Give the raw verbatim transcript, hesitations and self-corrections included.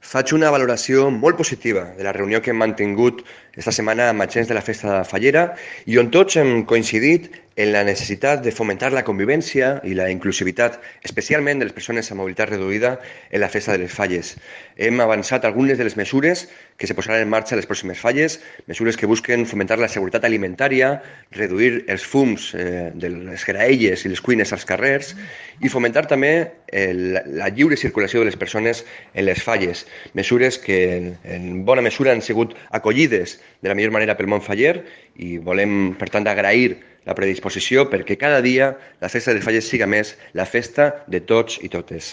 Faig una valoració molt positiva de la reunió que hem mantingut esta setmana amb agents de la Festa Fallera i on tots hem coincidit en la necessitat de fomentar la convivència i la inclusivitat, especialment de les persones amb mobilitat reduïda en la Festa de les Falles. Hem avançat algunes de les mesures que se posaran en marxa a les pròximes falles, mesures que busquen fomentar la seguretat alimentària, reduir els fums eh, de les graelles i les cuines als carrers i fomentar també eh, la, la lliure circulació de les persones en les falles. Mesures que en, en bona mesura han sigut acollides de la millor manera pel món faller i volem, per tant, agrair la predisposició perquè cada dia la Festa de les Falles siga més la festa de tots i totes.